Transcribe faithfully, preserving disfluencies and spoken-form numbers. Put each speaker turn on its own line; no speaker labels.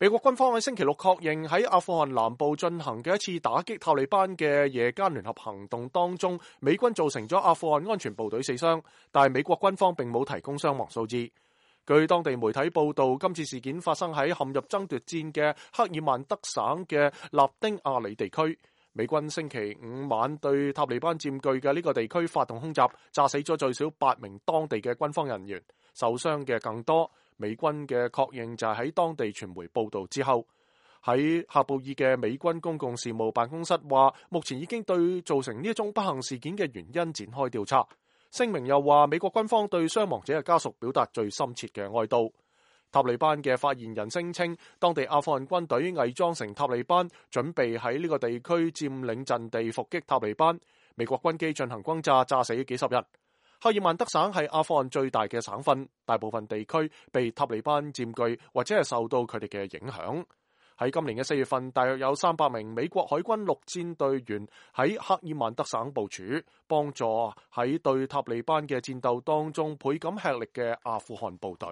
美國軍方喺星期六確認喺阿富汗南部進行嘅一次打擊塔利班嘅夜間聯合行動當中，美軍造成咗阿富汗安全部隊死傷，但係美國軍方並冇提供傷亡數字。據當地媒體報道，今次事件發生喺陷入爭奪戰嘅克爾曼德省嘅納丁亞里地區。美軍星期五晚對塔利班佔據嘅呢個地區發動空襲，炸死咗最少八名當地嘅軍方人員，受傷嘅更多。美軍嘅確認就係喺當地傳媒報道之後。喺喀布爾嘅美軍公共事務辦公室話，目前已經對造成呢一宗不幸事件嘅原因展開調查。聲明又話，美國軍方對傷亡者嘅家屬表達最深切嘅哀悼。塔利班嘅發言人聲稱，當地阿富汗軍隊偽裝成塔利班，準備喺呢個地區佔領陣地伏擊塔利班。美國軍機進行轟炸，炸死幾十人。克爾曼德省係阿富汗最大嘅省份，大部分地區被塔利班佔據或者係受到佢哋嘅影響。喺今年嘅四月份，大約有三百名美國海軍陸戰隊員喺克爾曼德省部署，幫助喺對塔利班嘅戰鬥當中倍感吃力嘅阿富汗部隊。